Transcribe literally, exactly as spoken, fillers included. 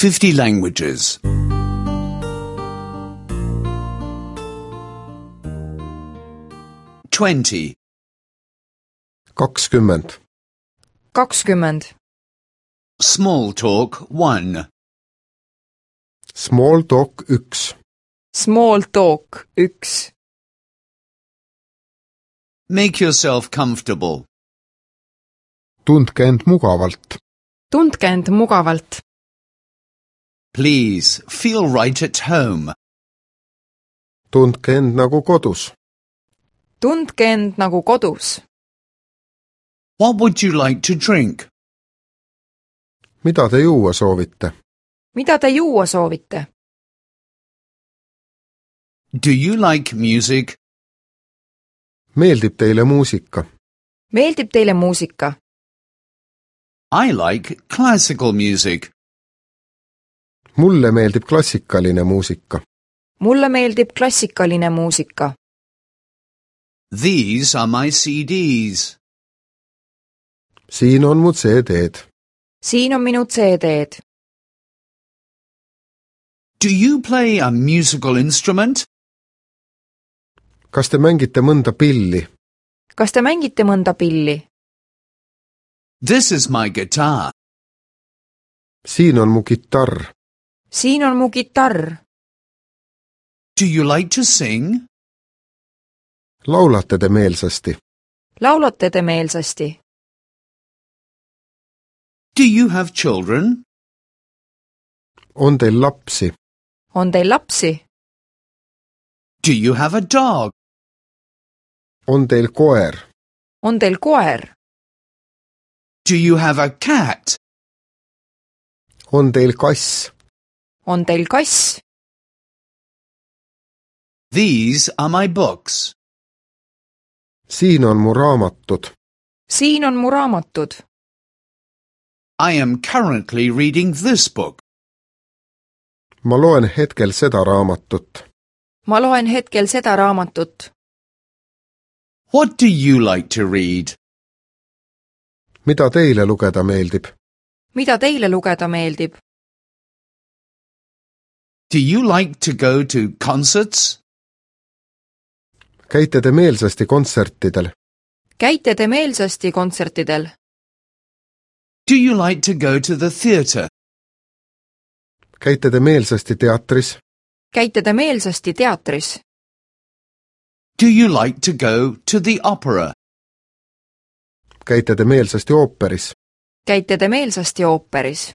fifty languages. Twenty. kakskümmend. kakskümmend. Small talk one. Small talk üks. Small talk üks. Make yourself comfortable. Tundke end mugavalt. Tundke end mugavalt. Please feel right at home. Tundke end nagu kodus. Tundke end nagu kodus. What would you like to drink? Mida te juua soovite? Mida te juua soovite? Do you like music? Meeldib teile muusika? Meeldib teile muusika? I like classical music. Mulle meeldib klassikaline muusika. Mulle meeldib klassikaline muusika. These are my C Ds. Siin on mu C D-d. Siin on minu C D-d. Do you play a musical instrument? Kas te mängite mõnda pilli? Kas te mängite mõnda pilli? This is my guitar. Siin on mu kitarr. Siin on mu kitarr. Do you like to sing? Laulate te meelsasti? Laulate te meelsasti? Do you have children? On teil lapsi? On teil lapsi? Do you have a dog? On teil koer? On teil koer? Do you have a cat? On teil kass? On teil kass? These are my books. Siin on mu raamatud. Siin on mu raamatud. I am currently reading this book. Ma loen hetkel seda raamatut. Ma loen hetkel seda raamatut. What do you like to read? Mida teile lugeda meeldib? Mida teile lugeda meeldib? Do you like to go to concerts? Käite te meelsasti kontsertidel? Käite te meelsasti kontsertidel? Do you like to go to the theatre? Käite te meelsasti teatris? Käite te meelsasti teatris? Do you like to go to the opera? Käite te meelsasti ooperis? Käite te meelsasti ooperis?